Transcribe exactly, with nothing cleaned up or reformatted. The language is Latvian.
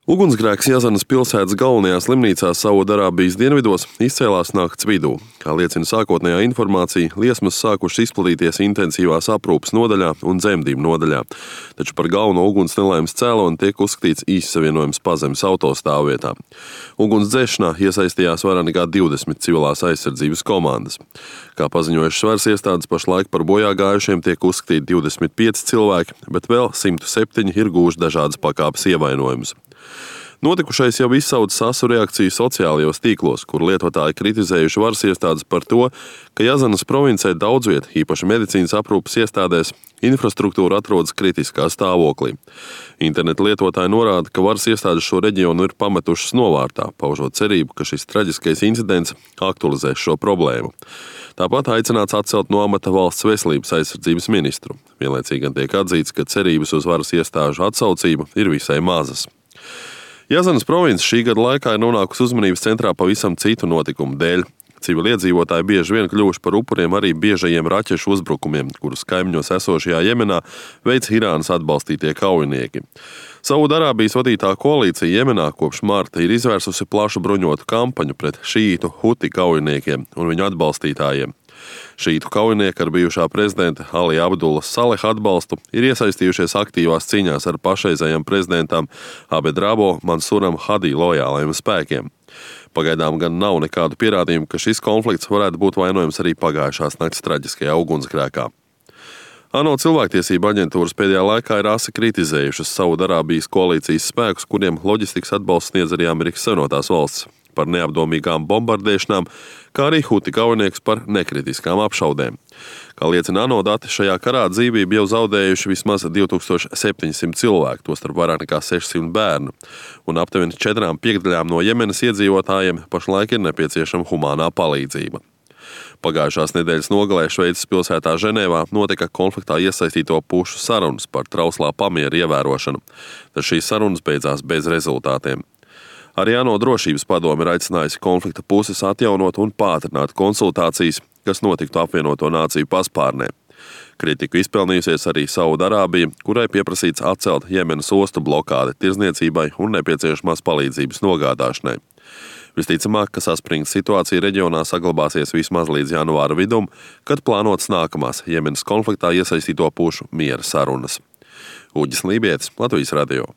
Ugunsgrēks Jazanas pilsētas galvenajā slimnīcā Saudarābijas dienvidos izcēlās nakts vidū. Kā liecina sākotnējā informācija, liesmas sākušas izplatīties intensīvās aprūpes nodaļā un dzemdību nodaļā, taču par galveno uguns nelaimes cēloni tiek uzskatīts īssavienojums Pazemes autostāvvietā. Uguns dzēšanā iesaistījās vairāk nekā divdesmit civilās aizsardzības komandas. Kā paziņojušas varas iestādes, pašlaik par bojā gājušiem tiek uzskatīti divdesmit pieci cilvēki, bet vēl simt septiņi ir gūši dažādas pakāpes ievainojumus. Notikušais jau izsauca asu reakciju sociālajos tīklos, kur lietotāji kritizējuši varas iestādes par to, ka Jazanas provincē daudz viet, īpaši medicīnas aprūpes iestādēs, infrastruktūra atrodas kritiskā stāvoklī. Interneta lietotāji norāda, ka varas iestādes šo reģionu ir pametušas novārtā, paužot cerību, ka šis traģiskais incidents aktualizēs šo problēmu. Tāpat aicināts atcelt no amata valsts veselības aizsardzības ministru. Vienlaicīgi gan tiek atzīts, ka cerības uz varas iestāžu atsaucību ir visai mazas. Jazanas province šī gada laikā ir nonākusi uzmanības centrā pavisam citu notikumu dēļ. Civiliedzīvotāji bieži vien kļuvuši par upuriem arī biežajiem raķešu uzbrukumiem, kurus kaimiņos esošajā Jemenā veic Irānas atbalstītie kaujinieki. Saudarābijas vadītā koalīcija Jemenā kopš marta ir izvērsusi plašu bruņotu kampaņu pret šītu Huti kaujiniekiem un viņu atbalstītājiem. Šītu kaujinieki ar bijušā prezidenta Ali Abdullas Saleha atbalstu ir iesaistījušies aktīvās cīņās ar pašreizējiem prezidentam Abed Rabo Mansuram Hadī lojālajiem spēkiem. Pagaidām gan nav nekādu pierādījumu, ka šis konflikts varētu būt vainojams arī pagājušās nakts traģiskajā ugunsgrēkā. ANO cilvēktiesība aģentūras pēdējā laikā ir asi kritizējušas Saudarābijas koalīcijas spēkus, kuriem loģistikas atbalsts sniedz arī Amerikas Savienotās valstis, par neapdomīgām bombardēšanām, kā arī Huti kaujinieks par nekritiskām apšaudēm. Kā liecina ANO dati, šajā karā dzīvību jau zaudējuši vismaz divi tūkstoši septiņsimt cilvēku, tostarp vairāk nekā sešsimt bērnu, un aptuveni četrām piekdaļām no Jemenas iedzīvotājiem pašlaik ir nepieciešama humānā palīdzība. Pagājušās nedēļas nogalē Šveices pilsētā Ženēvā notika konfliktā iesaistīto pušu sarunas par trauslā pamiera ievērošanu, tad šīs sarunas beidzās bez rezultātiem. Arī ANO drošības padome ir aicinājusi konflikta puses atjaunot un pātrināt konsultācijas, kas notiktu apvienoto nāciju paspārnē. Kritiku izpelnījusies arī Saudarābija, kurai pieprasīts atcelt Jemenas ostu blokādi tirzniecībai un nepieciešamās palīdzības nogādāšanai. Visticamāk, ka saspringta situācija reģionā saglabāsies vismaz līdz janvāra vidum, kad plānotas nākamās Jemenas konfliktā iesaistīto pušu miera sarunas. Uģis Lībietis, Latvijas radio.